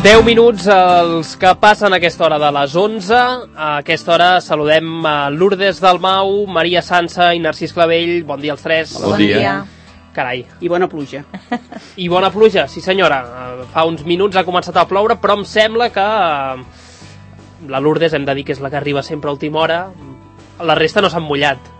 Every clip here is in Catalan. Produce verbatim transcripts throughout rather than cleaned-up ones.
deu minuts els que passen a aquesta hora de les onze. A aquesta hora saludem a Lourdes Dalmau, Maria Sansa i Narcís Clavell. Bon dia als tres. Bon, bon dia. dia. Carai. I bona pluja. I bona pluja, sí senyora. Fa uns minuts ha començat a ploure, però em sembla que la Lourdes, hem de dir que és la que arriba sempre a última hora. La resta no s'han mullat.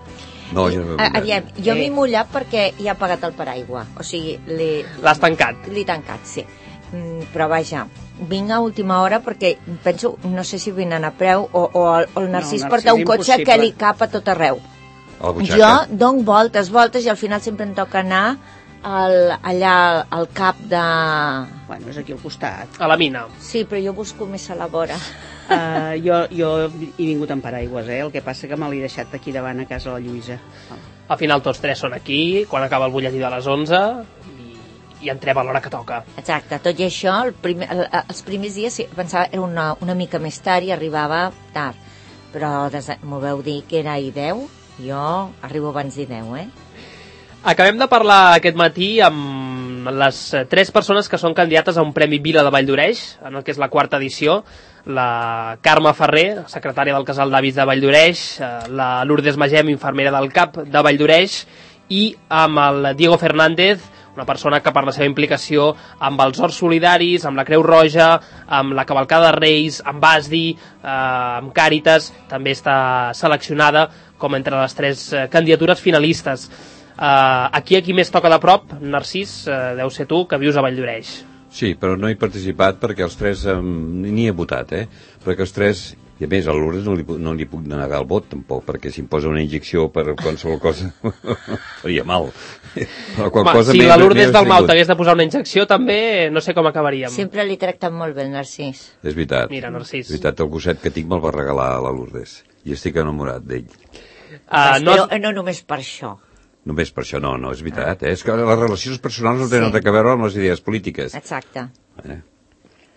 No, jo no m'he mullat. Aviam, jo m'he mullat perquè hi ha pagat el paraigua. O sigui, l'has tancat. L'he tancat, sí. Mm, però vaja, vinc a última hora perquè penso, no sé si vinen a preu o, o, el, o el Narcís no, porta un cotxe que li cap a tot arreu. Jo dono voltes, voltes i al final sempre em toca anar al, allà al cap de... Bueno, és aquí al costat. A la mina. Sí, però jo busco més a la vora. Uh, jo, jo he vingut amb paraigües, eh? El que passa que me l'he deixat aquí davant a casa la Lluïsa. Oh. Al final tots tres són aquí, quan acaba el butlletí de les onze, i, i entrem a l'hora que toca. Exacte, tot i això, el primer, el, els primers dies sí, pensava era una, una mica més tard i arribava tard, però m'ho veu dir que era i deu, jo arribo abans d'I deu, eh? Acabem de parlar aquest matí amb les tres persones que són candidates a un Premi Vila de Valldoreix, en el que és la quarta edició, la Carme Ferrer, secretària del Casal d'Avis de Valldoreix, la Lourdes Magem, infermera del CAP de Valldoreix, i amb el Diego Fernández, una persona que per la seva implicació amb els Horts Solidaris, amb la Creu Roja, amb la Cavalcada de Reis, amb Asdi, eh, amb Càritas, també està seleccionada com entre les tres eh, candidatures finalistes. Uh, aquí a qui més toca de prop, Narcís, uh, deu ser tu, que vius a Valldoreix. Sí, però no he participat perquè els tres um, ni he votat, eh? Perquè els tres, i a més a Lourdes no li, no li puc negar el vot tampoc, perquè si em posa una injecció per qualsevol cosa faria mal. Però Ma, cosa si la Lourdes Dalmau t'hagués de posar una injecció també no sé com acabaríem. Sempre li tracten molt bé el Narcís. És veritat. Mira, Narcís. És veritat, el gosset que tinc me'l va regalar a la Lourdes i estic enamorat d'ell. Uh, no, però no només per això. Només per això, no, no, és veritat. Eh? És que les relacions personals no tenen sí. res a veure amb les idees polítiques. Exacte. Eh?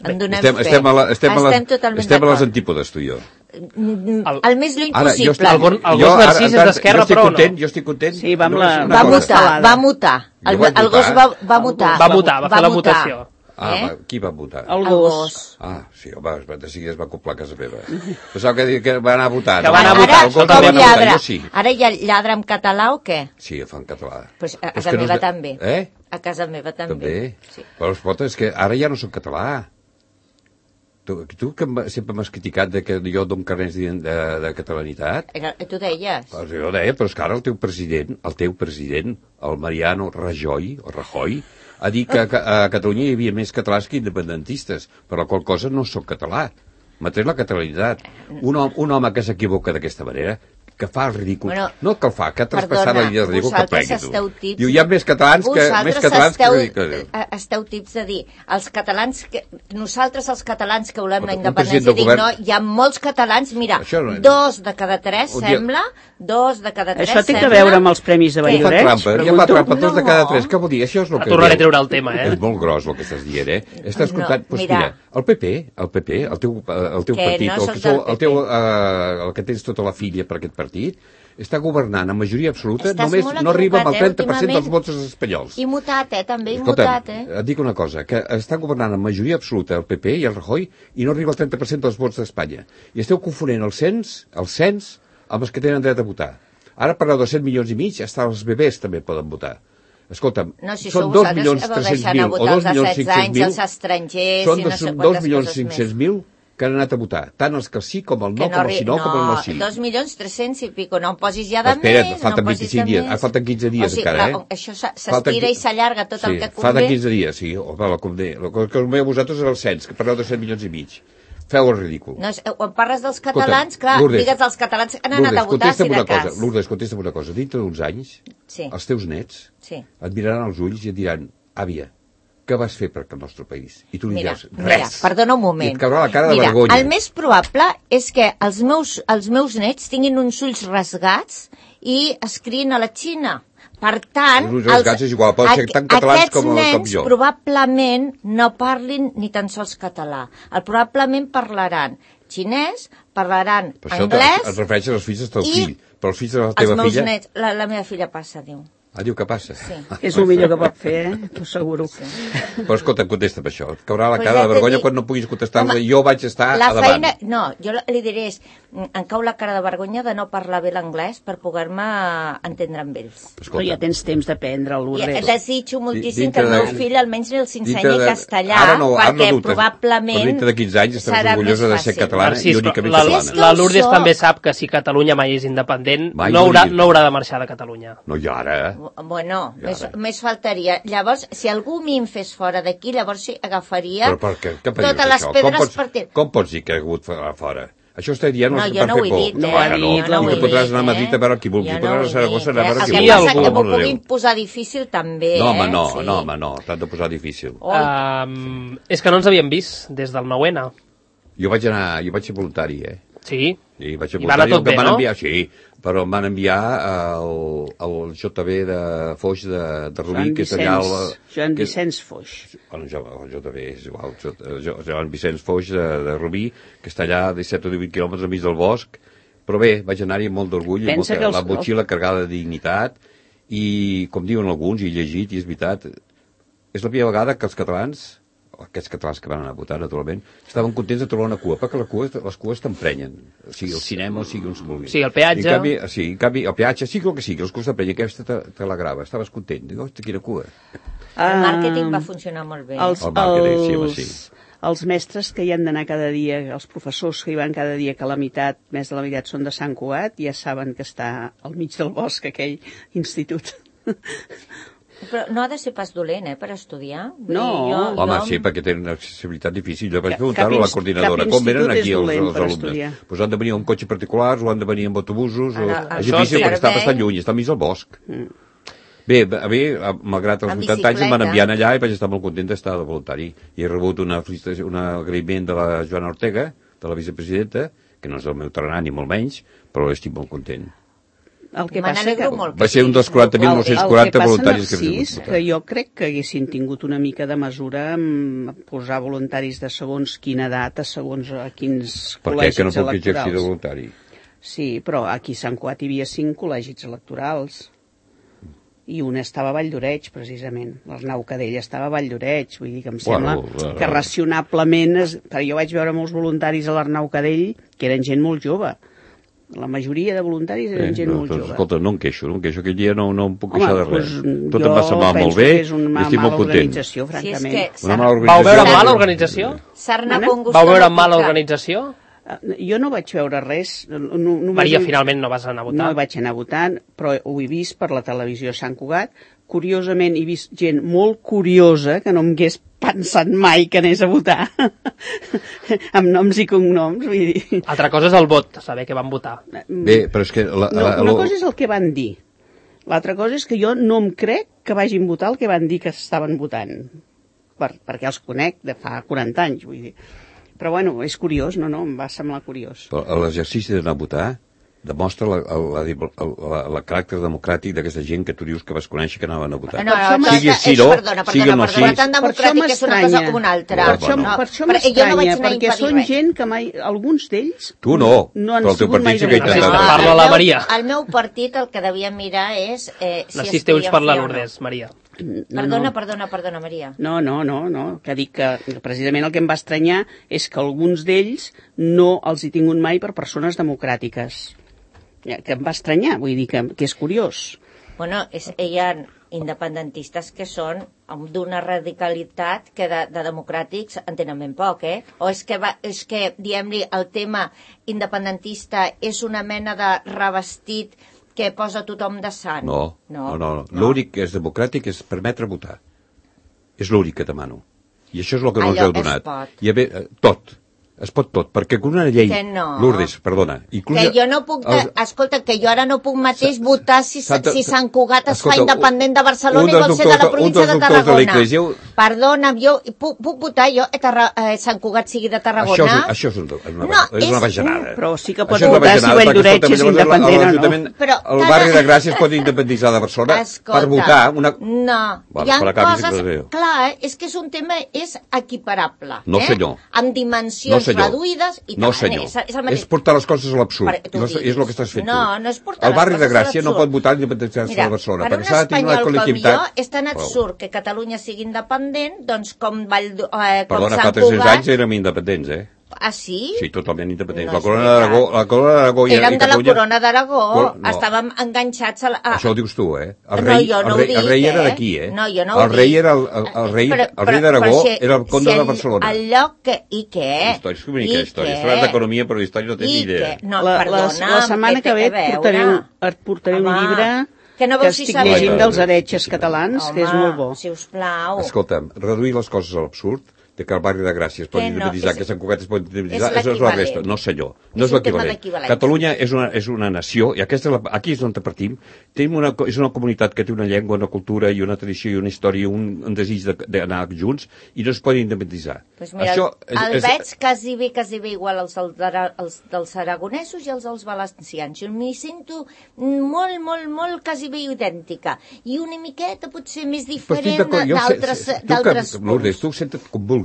En donem estem, fe. estem, a, la, estem, estem, estem a, les, estem a les antípodes, tu i jo. El, el més lluny ara, possible. Estic, el bon, el gos Narcís és d'esquerra, però content, no. Jo estic content. Sí, va, no, la, va, mutar, va mutar, el, el gos va, va mutar. Va mutar, va fer la mutació. Ah, eh? va, qui va votar? El gos. Ah, sí, home, de seguida es va acoplar a casa meva. Pensava que, que va anar a votar. Que va anar a votar. Ara, com va lladra? Jo sí. Ara ja lladra en català o què? Sí, fa en català. Pues a casa meva no... també. Eh? A casa meva també. També? Sí. Però escolta, és que ara ja no soc català. Tu, tu que sempre m'has criticat de que jo dono carnets de, de, de catalanitat. Era, tu deies. Pues jo deia, però és que ara el teu president, el teu president, el Mariano Rajoy, o Rajoy, ha dit que a Catalunya hi havia més catalans que independentistes, per la qual cosa no sóc català. M'ha tret la catalanitat. Un home, un home que s'equivoca d'aquesta manera, que fa el ridícul, bueno, no que el fa, que ha traspassat la línia de ridícul, que plegui tu. Tips, Diu, hi ha més catalans que, més catalans esteu, que... esteu tips de dir, els catalans que, nosaltres els catalans que volem un, la independència, dic, govern... no, hi ha molts catalans, mira, no... dos de cada tres, dia... sembla, dos de cada tres, això té sembla... que veure amb els premis de Valldoreix? Ja fa trampa, ja fa trampa, dos de cada tres, què vol dir? Això és el que... Tornaré a treure el tema, eh? És molt gros el que estàs dient, eh? Estàs escoltant, doncs mira, el P P, el P P, el teu, el teu partit, el que, el, teu, el que tens tota la filla per aquest partit, està governant amb majoria absoluta, Estàs només no arriba amb el trenta per cent dels vots espanyols. I mutat, eh, també, i Escolta, mutat, eh. Et dic una cosa, que està governant amb majoria absoluta el P P i el Rajoy i no arriba al trenta per cent dels vots d'Espanya. I esteu confonent el cens, el cens amb els que tenen dret a votar. Ara parleu de set milions i mig, hasta els bebès també poden votar. Escolta'm, no, si són dos milions tres-cents mil o dos milions cinc-cents mil, els estrangers, són i no sé dos milions cinc-cents mil que han anat a votar, tant els que sí com el no, com el sí no, com el no sí. dos milions tres-cents i pico, no em posis ja de Espera, més, falten no em posis vint-i-cinc dies, ah, falten quinze dies o sigui, encara, la, eh? Això s'estira i s'allarga tot sí, el que convé. Falten quinze dies, sí, home, la convé. El que convé a vosaltres és el cens, que parleu de set milions i mig. Feu el ridícul. No, quan parles dels catalans, clar, Lourdes, digues els catalans que han anat Lourdes, a votar, si de cas. Cosa, Lourdes, contesta'm una cosa. Dintre d'uns anys, sí. els teus nets sí. et miraran als ulls i et diran, àvia, què vas fer per el nostre país? I tu li mira, diràs, res. Mira, perdona un moment. I et caurà la cara de mira, vergonya. El més probable és que els meus, els meus nets tinguin uns ulls rasgats i es criïn a la Xina. Per tant, els, els, és igual, poden ser tan catalans com, aquests nens com jo. Probablement no parlin ni tan sols català. El probablement parlaran xinès, parlaran per això anglès... Et refereixes als fills del teu fill, però els fills de la teva els meus filla... Nets, la, la meva filla passa, diu. Ah, diu que passa. Sí. És el millor que pot fer, eh? T'ho asseguro. Sí. Però escolta, contesta per això. Et caurà la Pues cara ja de t'he vergonya dit- quan no puguis contestar-la. Home, Jo vaig estar La a davant. feina... No, jo li diré és, em cau la cara de vergonya de no parlar bé l'anglès per poder-me entendre amb ells. Però ja tens temps d'aprendre, I Lourdes. desitjo moltíssim Dintre que el meu de- fill almenys els Dintre ensenyi de- castellà, ara no, ara no perquè dubtes. probablement Però dintre de quinze anys estaràs serà orgullosa més de ser fàcil. catalana Narcís, i únicament la, catalana. És que la ho Lourdes sóc. també sap que si Catalunya mai és independent, Mai no no haurà, diria. no haurà de marxar de Catalunya. No, i ara... Bueno, I més, ara? més faltaria. Llavors, si algú m'hi en fes fora d'aquí, llavors sí, agafaria Però per què? Què totes dius, les això? pedres com pots, per dir. Com pots dir que ha hagut a fora? Això està dient No, per jo no fer ho he por. dit, eh? No ho ha Ah, dit, no. no ho I he tu podràs dit, anar a Madrid a veure qui vulgui. Jo Tu podràs anar a Saragossa a eh? veure El qui que vulgui. passa algú. que m'ho Per l'amor de puguin Déu. posar difícil també, No, home, eh? no, Sí. no, home, no. T'has de posar difícil. Oi. Um, és que no ens havíem vist des del nou ene. Jo vaig anar, jo vaig ser voluntari, eh? Sí. I vaig ser I va anar voluntari, tot el que bé, em van no? enviar, sí, però em van enviar al, al J B de Foix de, de Rubí, Joan que és allà... Vicenç, al- Joan que- Vicenç Foix. Bueno, jo, el J B és igual, Jo- Jo- Joan Vicenç Foix de, de Rubí, que està allà a disset o divuit quilòmetres enmig del bosc, però bé, vaig anar-hi amb molt d'orgull, amb Pensa molta, que els- la motxilla carregada de dignitat, i com diuen alguns, i he llegit, i és veritat, és la primera vegada que els catalans, aquests catalans que van anar a votar, naturalment, estaven contents de trobar una cua, perquè la cua, les cues t'emprenyen, o sigui, el cinema, o sigui, on es vulgui. Sí, el peatge. I en canvi, sí, en canvi, el peatge, sí, el que sigui, els cues t'emprenyen, aquesta te, te l'agradava, estaves content, dic, hosti, quina cua. El màrqueting va funcionar molt bé. Els, El màrqueting, sí, home, els, sí. els mestres que hi han d'anar cada dia, els professors que hi van cada dia, que la meitat, més de la meitat són de Sant Cugat, ja saben que està al mig del bosc aquell institut. Però no ha de ser pas dolent, eh, per estudiar. Vull No. dir, jo, Home, jo... sí, perquè tenen una accessibilitat difícil. Jo vaig Cap- preguntar-ho a cap la inst- coordinadora. cap Com venen institut aquí és els, dolent els per alumnes? estudiar. Pues han de venir amb cotxes particulars o han de venir amb autobusos. O... Ara, És això difícil sí. perquè està servei. bastant lluny, està al mig del bosc. Mm. Bé, a mi, a- malgrat els En vuitanta anys, em van bicicleta. enviar allà i vaig estar molt content d'estar de voluntari. I he rebut una, felicitació- un agraïment de la Joana Ortega, de la vicepresidenta, que no és el meu tarannà ni molt menys, però estic molt content. El que Me passa n'alegro que... molt. Va ser un dels quaranta mil nou-cents quaranta voluntaris que El que havien passa, Narcís, que jo crec que haguessin tingut una mica de mesura en posar voluntaris de segons quina edat, a segons a quins Per què? col·legis Que no puc exercir de electorals. voluntari? Sí, però aquí a Sant Cugat hi havia cinc col·legis electorals i un estava a Valldoreix, precisament. L'Arnau Cadell estava a Valldoreix, vull dir que em sembla Bueno, bueno. que racionablement... Es... Però jo vaig veure molts voluntaris a l'Arnau Cadell que eren gent molt jove. La majoria de voluntaris eren gent no, molt doncs, jove. escolta, no em queixo, no em queixo. Aquell dia no, no em puc Home, queixar de res. doncs, Tot em va semblar penso molt bé que és una i ma- estic molt mala content. organització, Si és francament. que Una mala Vau organització. veure Sarna- mala organització? Sarna Mana? con gusto Vau veure no mala pica. organització? Eh, Jo no vaig veure res. No, no Maria, vaig... finalment no vas anar a No votar. vaig anar votant, però ho he vist per la televisió a Sant Cugat. Curiosament, he vist gent molt curiosa que no em hagués pensat mai que anés a votar. Amb noms i cognoms, vull dir... Altra cosa és el vot, saber què van votar. Bé, però és que... La, No, la, una la, cosa és el que van dir. L'altra cosa és que jo no em crec que vagin votar el que van dir que estaven votant. Per, perquè els conec de fa quaranta anys, vull dir. Però bueno, és curiós, no, no, em va semblar curiós. L'exercici d'anar a votar demostra la, la, la, la, la caràcter democràtic d'aquesta gent que tu dius que vas conèixer que anaven a votar. No, no, això no, sigui és, sí, no, perdona, sigui perdona, no, perdona, sí. tan Per això democràtic és una cosa m'estranya. o una altra. Per això, bueno. per això Però jo no vaig m'estranya, anar a perquè impedir són res. gent que mai... Alguns d'ells Tu no, no han però el teu sigut mai partit sí que ha democràtics. intentat. Parla el la meu- Maria. El meu partit el que devia mirar és eh, si Narcís es té ulls podia per la fer o no. Lourdes, Maria. No, Perdona, no. perdona, perdona, Maria. No, no, no, no, que dic que precisament el que em va estranyar és que alguns d'ells no els he tingut mai per persones democràtiques. Que em va estranyar, vull dir que, que és curiós. Bueno, és, hi ha independentistes que són d'una radicalitat que de, de democràtics en tenen ben poc, eh? O és que, va, és que diguem-li, el tema independentista és una mena de revestit que posa tothom de sant. No, no, no. no. no. L'únic que és democràtic és permetre votar. És l'únic que demano. I això és el que no us Allò heu donat. es pot. I a veure, eh, tot. Es pot tot, perquè con una llei... Que no. Lourdes, perdona. Inclús Que jo no puc... De... els- Escolta, que jo ara no puc mateix votar si, Santa- si Sant Cugat es Escolta, fa independent de un Barcelona i dels vol ser de la doctors- província un de dels doctors de Tarragona. l'Eglésia Perdona'm, jo puc, puc votar jo a Tarra, eh, Sant Cugat sigui de Tarragona? Això és, això és, un, una, no, és una bajanada. Però sí que pots votar si Valldoreig és independent o no. Però el barri de Gràcia es pot independitzar de Barcelona escolta, per votar una... No, bueno, hi ha coses... Clar, és que és un tema és equiparable. No, senyor. Eh? Amb dimensions no, reduïdes i tal. No, senyor. És, és, és portar les coses a l'absurd. No, és el que estàs fent no, tu. No, és portar el barri de Gràcia no pot votar independitzar-se de Barcelona. Per un espanyol com jo és tan absurd que Catalunya sigui independent, doncs com Vall, eh, com Perdona, Sant fa tres-cents Cugat... anys érem independents, eh? Ah, sí? Sí, totalment independents. No la Corona d'Aragó... La Corona d'Aragó i, Érem i de la Catalunya... Corona d'Aragó. No. Estàvem enganxats a... La... Això ho dius tu, eh? El rei, rei, no, jo no el rei, ho dic, el rei era eh? d'aquí, eh? No, jo no ho el rei dic. era el, el, el rei, però, el rei d'Aragó si, era el conde si el, de Barcelona. El lloc que... I què? Història, és una història. Estàs d'economia, però d'història no tens ni idea. No, la, perdona, la setmana que ve et portaré, un, et portaré un llibre... Que, no que estic si llegint dels heretges catalans, home, que és molt bo. Sisplau. Escolta'm, reduir les coses a l'absurd, de que el barri de Gràcia es pot independitzar, no, que Sant Cugat es pot independitzar, això és la resta. No, senyor, no és, és l'equivalent. Catalunya és una, és una nació, i aquesta és la, aquí és on partim, tenim una, és una comunitat que té una llengua, una cultura i una tradició i una història, un, un desig d'anar de, junts, i no es pot independitzar. Pues mira, això és, el és, veig quasi bé, quasi bé igual als, als dels aragonesos i els dels valencians. Jo m'hi sento molt, molt, molt quasi bé idèntica. I una miqueta potser més diferent d'altres punts. Lourdes, tu senta't com vulguis.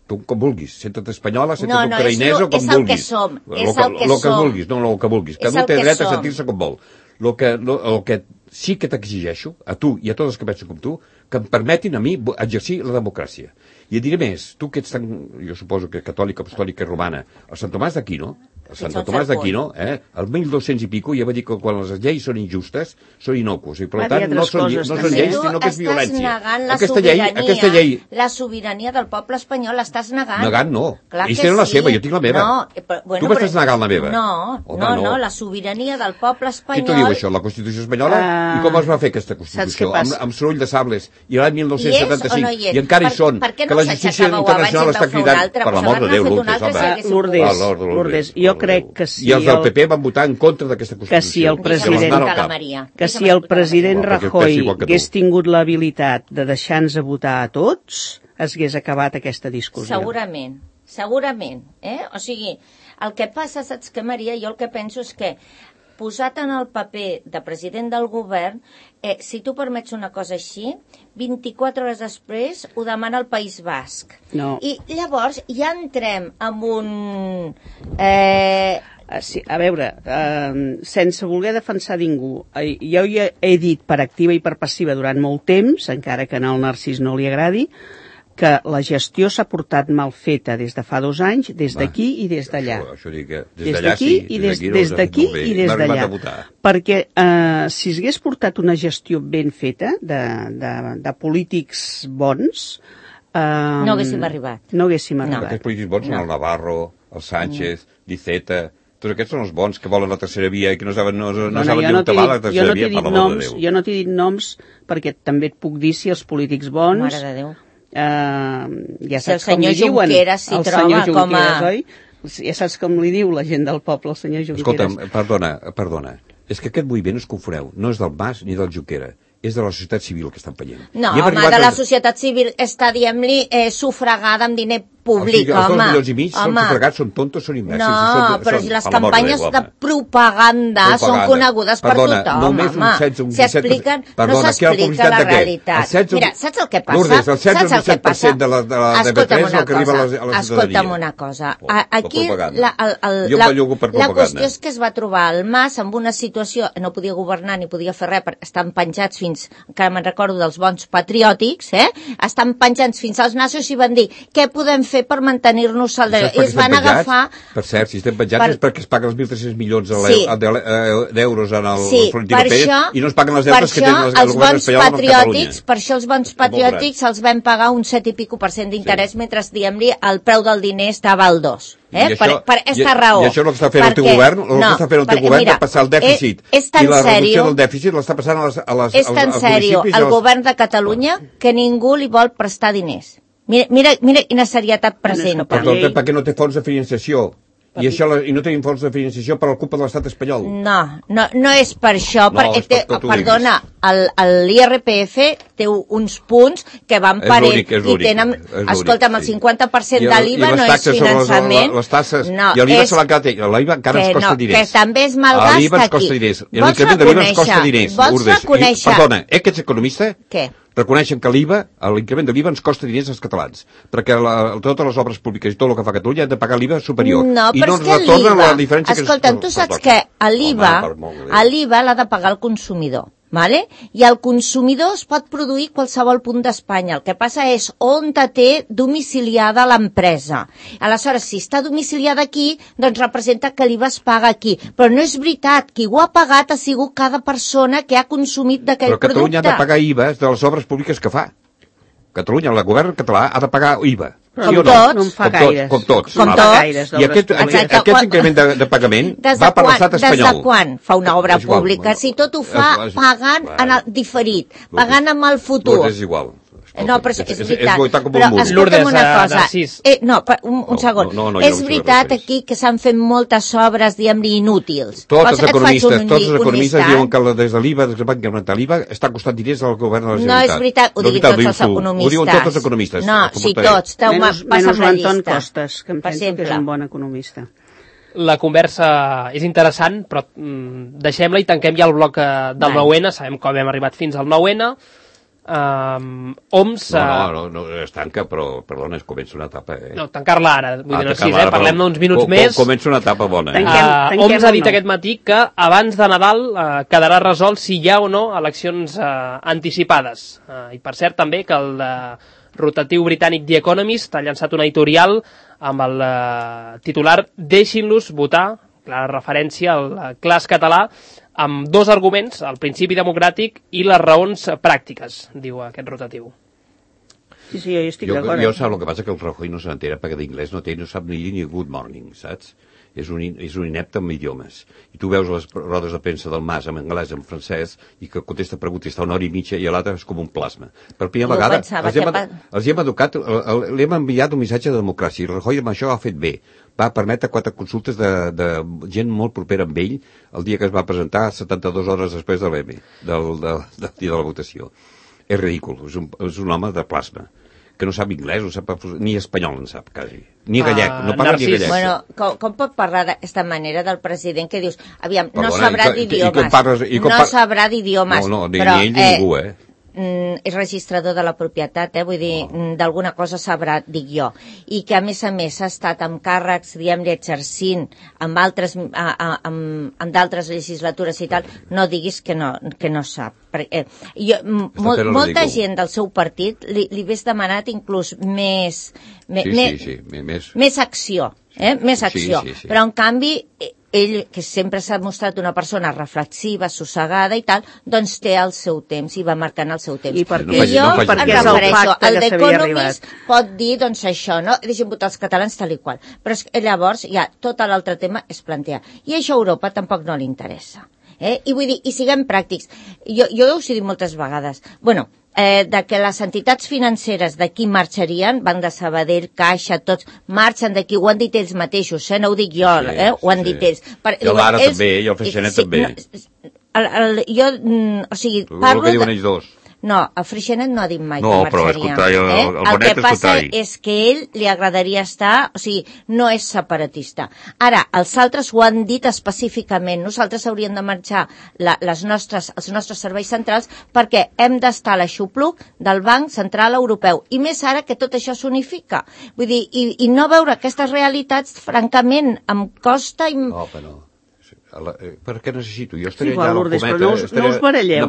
Tu com vulguis, senta't espanyola, senta't no, no, ucraïnesa o com vulguis. És el que som, és el que som. El que vulguis, no el que vulguis. Cada un té dret a sentir-se com vol. El que, el que sí que t'exigeixo, a tu i a tots els que pensen com tu, que em permetin a mi exercir la democràcia. I et diré més, tu que ets tan, jo suposo que catòlica, apostòlica i romana, el Sant Tomàs d'Aquino, el Sant Tomàs d'Aquino, eh, el mil dos-cents i pico, ja va dir que quan les lleis són injustes, són inocus, i per tant no són, no són lleis, sinó que és violència. Aquesta llei, aquesta llei... La sobirania del poble espanyol l'estàs negant. Negant no. Ells tenen la seva, jo tinc la meva. No, però, bueno, tu m'estàs negant la meva. No, Home, no, no, la sobirania del poble espanyol... Qui t'ho diu això, la Constitució espanyola? Uh... I com es va fer aquesta Constitució? Amb, amb soroll de sables. I l'any mil nou-cents setanta-cinc. No I encara hi són. Per, per que no s'aixecava internacional està cridant, per l'amor de Déu, Lourdes, home. Lourdes, Lourdes, jo crec que si... I els del P P van votar en contra d'aquesta Constitució. Que si el president, que si el president Rajoy hagués tingut l'habilitat de deixar-nos a votar a tots, hagués acabat aquesta discussió. Segurament, segurament. Eh? O sigui, el que passa, saps què, Maria? Jo el que penso és que posat en el paper de president del govern, eh, si tu permets una cosa així, vint-i-quatre hores després ho demana el País Basc. No. I llavors ja entrem en un... Eh... Sí, a veure, eh, sense voler defensar ningú, eh, jo ja he dit per activa i per passiva durant molt temps, encara que al Narcís no li agradi, que la gestió s'ha portat mal feta des de fa dos anys, des d'aquí i des d'allà. Això, això dic que des d'allà sí, des d'aquí i des d'allà. Perquè eh, si s'hagués portat una gestió ben feta de, de, de polítics bons... Eh, no haguéssim arribat. No haguéssim arribat. No. Aquests polítics bons són no. el Navarro, el Sánchez, no. Iceta... Tots aquests són els bons que volen la tercera via i que no saben, no, no Dona, saben ni on va la tercera no via, per l'amor de Déu. Jo no t'he dit noms perquè també et puc dir si els polítics bons... Mare de Déu. Eh, ja si el senyor Junqueras s'hi troba com a... Oi? Ja saps com li diu la gent del poble, el senyor Junqueras. Escolta'm, perdona, perdona. És que aquest moviment es confoneu. No és del Mas ni del Junqueras. És de la societat civil que estan penyent. No, home, de la societat civil està, diguem-li, eh, sufragada amb diner públic, o sigui, home. Els dos milions i mig són sufragats, són tontos, són imbècils. No, són, però són, si les campanyes de, de propaganda, propaganda són conegudes Perdona, per tothom, només home. Un setze, un si expliquen, Perdona, no s'explica la realitat. setze, Mira, saps el que passa? Lourdes, el setze o el disset per cent de la, de la de P tres és el que arriba a la, a la ciutadania. Escolta'm una cosa. Oh, Aquí la, la, el, la, la qüestió és que es va trobar el Mas amb una situació, no podia governar ni podia fer res, perquè estan penjats fins, encara me'n recordo dels bons patriòtics, eh? Estan penjats fins als nassos i van dir què podem fer per mantenir-nos al de... I es van agafar... Per cert, si estem penjats per... és perquè es paguen els mil tres-cents milions sí. d'euros en el sí, Florentino Pérez això, i no es paguen les deutes que tenen el govern espanyol amb Catalunya. Per això els bons patriòtics els vam pagar un set i pico per cent d'interès sí. mentre, diguem-li, el preu del diner estava al dos. Eh? I això, per, per aquesta raó. I això és el que està fent el teu govern, el no, que està fent el teu govern de passar el dèficit. És, és I la reducció serio, del dèficit l'està passant a les, a les, és tan als, als sèrio municipis. El als... govern de Catalunya que ningú li vol prestar diners. Mira, mira, mira quina serietat presenta. Perdó, perquè no té fons de financiació. I, això, I no tenim fons de financiació per la culpa de l'estat espanyol. No, no, no és per això. No, perquè és per té, perdona, l'I R P F té uns punts que van parent i tenen... Escolta'm, el cinquanta per cent de l'I V A no és finançament. Les taxes, no, i l'I V A se l'encara l'I V A encara ens costa diners. Que també és malgast l'I V A ens costa diners. L'increment de l'I V A ens costa diners. Vols reconèixer... Perdona, eh, que ets economista? Què? Reconeixen que l'I V A, l'increment de l'I V A ens costa diners als catalans, perquè la, totes les obres públiques i tot el que fa Catalunya han de pagar l'I V A superior. No, I no ens retornen la diferència que... Escolta'm, tu saps que l'I V A l'I V A l'ha de pagar el consumidor. Vale? I el consumidor es pot produir qualsevol punt d'Espanya. El que passa és on té domiciliada l'empresa. Aleshores, si està domiciliada aquí, doncs representa que l'I V A es paga aquí. Però no és veritat. Qui ho ha pagat ha sigut cada persona que ha consumit d'aquell producte. Però Catalunya ha de pagar I V A de les obres públiques que fa. Catalunya, el govern català, ha de pagar I V A. Com sí tots, no en fa gaires. Com tots. Com tots. I aquest, aquest, aquest increment de, de pagament va per l'estat espanyol. Des de quan fa una obra pública? Si tot ho fa pagant en el diferit, pagant amb el futur. És igual. No, però és, és veritat. És però escolta'm una cosa. Eh, no, un, un no, segon. No, no, no, és veritat aquí que s'han fet moltes obres, diguem-ne, inútils. Tots els economistes, tots els economistes diuen que des de l'I V A, des que van incrementar l'I V A, està costant diners al govern de la Generalitat. No és veritat, ho diuen tots els economistes. Ho diuen tots els economistes. No, sí, tots. Menys, menys l'Anton Costes, que em penso que és un bon economista. La conversa és interessant, però mm, deixem-la i tanquem ja el bloc del nou ene. Sabem com hem arribat fins al nou ene. Um, O M S... No, no, no, no, es tanca, però, perdona, es comença una etapa, eh? No, tancar-la ara, vull ah, dir, no sis, eh? Parlem d'uns minuts com, més. Comença una etapa bona, eh? Tanquem, tanquem uh, O M S ha dit no. aquest matí que abans de Nadal uh, quedarà resolt si hi ha o no eleccions uh, anticipades. Uh, I per cert també que el uh, rotatiu britànic The Economist ha llançat un editorial amb el uh, titular Deixin-los votar, clara referència al uh, clas català, amb dos arguments, el principi democràtic i les raons pràctiques, diu aquest rotatiu. Sí, sí, jo estic jo, d'acord. Jo sap el que passa, que el Rajoy no s'entera perquè d'inglès no té, no sap ni dir ni good morning, saps? És un, és un inepte amb idiomes. I tu veus les rodes de premsa del Mas en anglès, en francès, i que contesta preguntes, està una hora i mitja i l'altre és com un plasma. Per primera vegada, els hem, els hem educat, li hem enviat un missatge de democràcia, i el Rajoy amb això ha fet bé. Va permetre quatre consultes de, de gent molt propera amb ell el dia que es va presentar setanta-dues hores després de l'E M E, del, del, del dia de la votació. És ridícul, és un, és un home de plasma, que no sap anglès, no sap, ni espanyol en sap, quasi. Ni gallec, uh, no parla Narcís. Ni gallec. Bueno, com, com pot parlar d'aquesta manera del president que dius, aviam, Perdona, no sabrà d'idiomes, no sabrà d'idiomes, no, no, ni, però... ni ell ni eh, ningú, eh? és registrador de la propietat, eh? Vull dir, oh. d'alguna cosa sabrà, dic jo, i que a més a més ha estat amb càrrecs, diguem-ne, exercint amb altres, a, a, amb, amb d'altres legislatures i tal, no diguis que no, que no sap. Perquè, eh, jo, mol, molta gent del seu partit li, li hagués demanat inclús més, me, sí, me, sí, sí, més... més acció, eh? més acció, sí, sí, sí. Però en canvi... ell, que sempre s'ha mostrat una persona reflexiva, sossegada i tal, doncs té el seu temps i va marcant el seu temps. I per I què? jo no em refereixo, el d'Economist pot dir, doncs això, no? Deixem votar els catalans tal i qual. Però és que llavors ja tot l'altre tema es plantea. I això a Europa tampoc no li interessa. Eh? I vull dir, i siguem pràctics. Jo, jo us he dit moltes vegades. Bueno, Eh, de que les entitats financeres d'aquí marxarien, Banc de Sabadell, Caixa, tots marxen d'aquí, ho han dit ells mateixos, eh? No ho dic jo, sí, eh? Ho han sí. dit ells. Per, I l'Ara ells, també, i el Freixenet sí, també. No, el, el, jo, o sigui, el parlo... El que diuen ells dos. No, el Freixenet no ha dit mai no, que marxaria. No, però és contrari, eh? el, el, el que passa contrari. és que ell li agradaria estar, o sigui, no és separatista. Ara, els altres ho han dit específicament, nosaltres hauríem de marxar la, les nostres, els nostres serveis centrals perquè hem d'estar a l'aixopluc del Banc Central Europeu. I més ara que tot això s'unifica. Vull dir, i, i no veure aquestes realitats, francament, em costa... I... No, però no. La, eh, per què necessito? Jo estaria sí, igual, allà Lourdes, cometa, però no us, no us baralleu.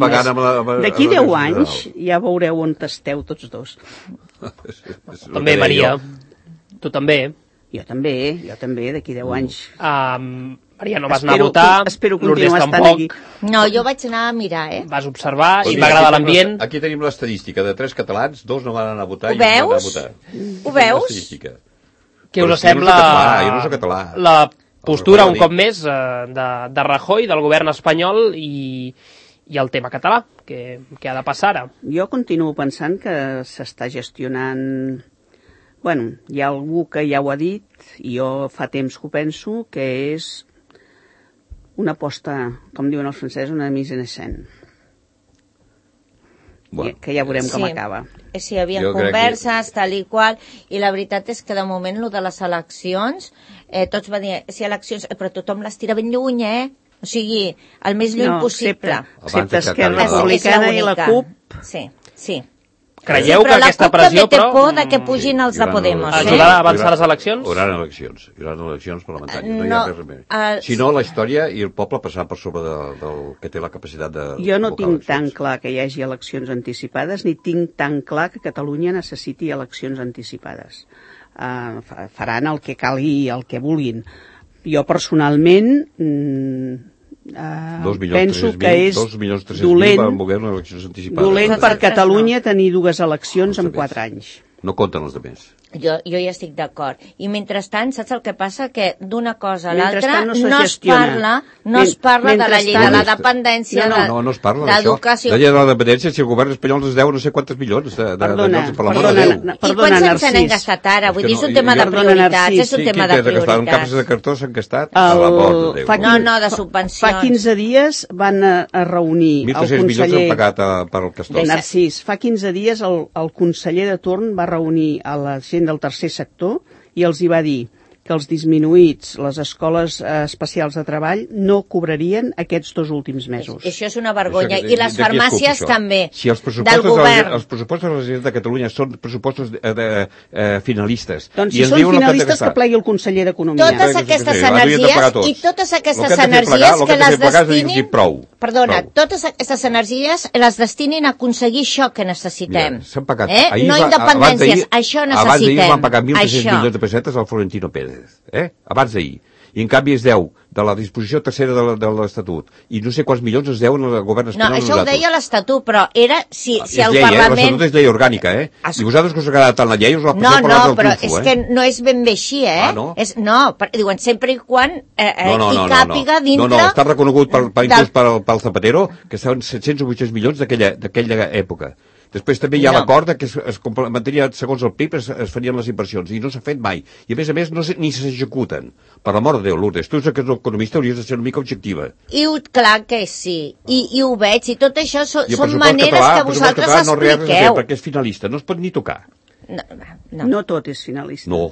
D'aquí deu anys ja veureu on esteu tots dos. També, Maria. Jo. Tu també. Jo també, jo també, d'aquí deu anys. Um, Maria, no vas espero, anar a votar. Espero continuar estant aquí. No, jo vaig anar a mirar, eh? Vas observar o i sigui, m'agrada l'ambient. Aquí tenim l'estadística de tres catalans, dos no van anar a votar ho i un van anar a votar. Ho veus? Què us sembla jo no soc català. La postura, un cop més, de, de Rajoy, del govern espanyol i, i el tema català, que, que ha de passar ara? Jo continuo pensant que s'està gestionant Bueno, hi ha algú que ja ho ha dit, i jo fa temps que ho penso, que és una aposta, com diuen els francesos, una mise en escena. Bueno, que ja veurem com sí. acaba. Sí, hi havia converses, que... tal i qual, i la veritat és que de moment el de les eleccions, eh, tots va dir, sí, eleccions, però tothom les tira ben lluny, eh? O sigui, el més lluny no, possible. Excepte Esquerra Republicana i la CUP. Sí, sí. Creieu sí, que aquesta pressió, però... la CUP també té por de que pugin els de Podemos. Ajudarà a avançar les eleccions? Hi haurà eleccions, hi haurà eleccions parlamentàries. No, no hi ha res més. Uh, si no, la història i el poble passarà per sobre de, del que té la capacitat de... Jo no tinc tan clar que hi hagi eleccions anticipades, ni tinc tan clar que Catalunya necessiti eleccions anticipades. Uh, faran el que calgui, el que vulguin. Jo, personalment... Mm, Uh, penso que és dolent, dolent per Catalunya tenir dues eleccions en quatre anys. No compten els altres. Jo, jo hi estic d'acord. I mentrestant, saps el que passa? Que d'una cosa a l'altra no, no es parla, no es parla de la llei de la dependència, no, no, no es parla d'educació. La llei de la dependència, si el govern espanyol ens deu no sé quantes milions de, de, perdona, de, perdona, perdona, I quants se'ns n'han gastat ara? Vull dir, és un tema de prioritats, és un tema de prioritats. Un capses de cartó s'han gastat? No, no, de subvencions. Fa quinze dies van a reunir el conseller... mil tres-cents milions han pagat per al Castor. Narcís, fa quinze dies el conseller de torn va reunir a la gent del tercer sector i els hi va dir que els disminuïts, les escoles especials de treball, no cobrarien aquests dos últims mesos. Això és una vergonya. I les farmàcies també, del govern. Els pressupostos de la Generalitat de Catalunya són pressupostos finalistes. Doncs si són finalistes, que plegui el conseller d'Economia. Totes aquestes energies i totes aquestes energies que les destinin... Perdona, totes aquestes energies les destinin a aconseguir això que necessitem. No independències, això necessitem. Abans d'ahir van pagar mil tres-cents milions de pessetes al Florentino Pérez. Eh? Abans d'ahir. I en canvi es deu de la disposició tercera de l'Estatut. I no sé quants milions es deuen al govern espanyol. No, això ho deia l'Estatut, però era si, si el llei, Parlament... Eh? L'Estatut és llei orgànica, eh? Es... I vosaltres que us ha agradat tant la llei us la passeu no, per no, l'altre però trufo, és eh? que no és ben bé així, eh? Ah, no? És, no, per, diuen, sempre i quan eh, eh, no, no, no, hi càpiga no, no. dintre... No, no, està reconegut per, per, del... inclús pel, pel Zapatero, que estaven set-cents o vuit-cents milions d'aquella època. Després també hi ha no. l'acord que es, es complementaria, segons el P I B, es, es farien les inversions, i no s'ha fet mai. I a més a més no se, ni s'executen. Per la mort de Déu, Lourdes, tu que ets economista hauries de ser una mica objectiva. I clar que sí, I, i ho veig, i tot això so, són maneres català, que vosaltres català, no expliqueu. No, perquè és finalista, no es pot ni tocar. No, no. no tot és finalista. No.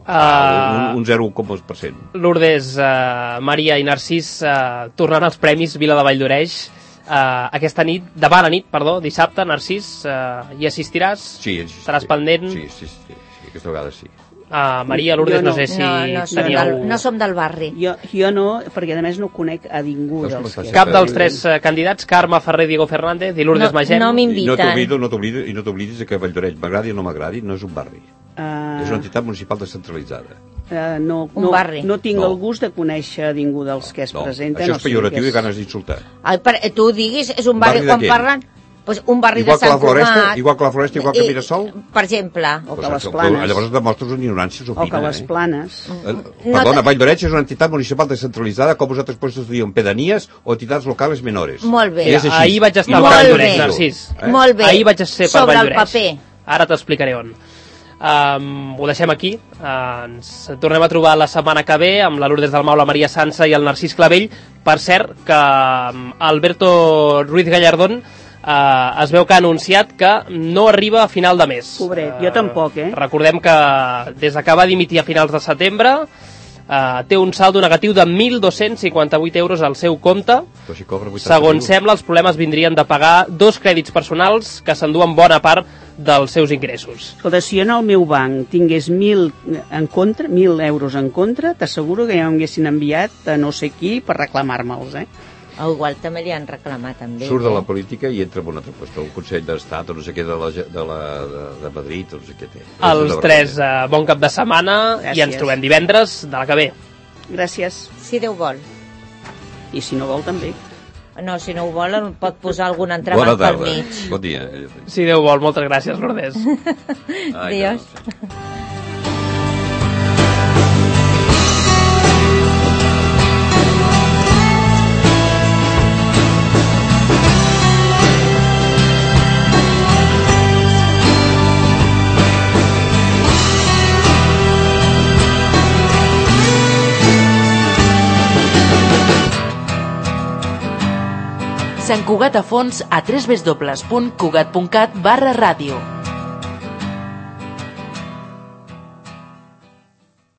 Uh, un, un zero coma dos per cent. Lourdes, uh, Maria i Narcís, uh, tornant als premis Vila de Valldoreix, Uh, aquesta nit, demà a la nit, perdó, dissabte, Narcís, uh, hi assistiràs? Sí, sí. Estaràs pendent? Sí, sí, sí, sí, aquesta vegada sí. Uh, Maria, Lourdes, no. no sé si no, no teníeu... Del, no som del barri. Jo, jo no, perquè a més no conec a ningú no dels que... Cap dels tres uh, candidats, Carme Ferrer, Diego Fernández i Lourdes no, Magem. No m'inviten. I no t'oblidis no t'oblidis que Valldoreix, m'agradi o no m'agradi, no és un barri. Uh... És una entitat municipal descentralitzada. Uh, no, no, no tinc no. el gust de conèixer ningú dels que es no. presenten. Això és pejoratiu no sé i ganes d'insultar. Tu diguis, és un barri, barri quan parlen... Pues un barri igual de Sant Cugat. Igual que la Floresta, igual que I, Mirasol? Per exemple. O que les Planes. Llavors demostres una ignorància supina. O que les Planes. Eh? Perdona, Valldoreix és una entitat municipal descentralitzada, com vosaltres puestos diuen, pedanies o entitats locals menores. Molt bé. Mira, ahir vaig estar per Valldoreix, Narcís. Eh? Molt bé. Ahir vaig ser per Sobre Valldoreix. el paper. Ara t'explicaré on. Um, ho deixem aquí, uh, ens tornem a trobar la setmana que ve amb la Lourdes Dalmau, la Maria Sansa i el Narcís Clavell. Per cert, que um, Alberto Ruiz Gallardón uh, es veu que ha anunciat que no arriba a final de mes. Pobret, uh, jo tampoc, eh? Recordem que des que va dimitir a finals de setembre Uh, té un saldo negatiu de mil dos-cents cinquanta-vuit euros al seu compte. Si segons sembla, els problemes vindrien de pagar dos crèdits personals que s'enduen bona part dels seus ingressos. Escolta, si jo en el meu banc tingués mil en contra, mil euros en contra, t'asseguro que ja m'haguessin enviat a no sé qui per reclamar-me'ls, eh? O igual també li han reclamat també. Surt de la política i entra en una altra qüestió, el Consell d'Estat o no sé què de, la, de, la, de, de Madrid o no sé què té. Els tres, uh, bon cap de setmana. Gràcies. I ens trobem divendres de la que ve. Gràcies. Si Déu vol. I si no vol també. No, si no ho vol pot posar algun entrebanc pel mig. Bon dia. Si Déu vol, moltes gràcies, Lourdes. Adiós. Sant Cugat a fons a w w w punt cugat punt cat barra ràdio.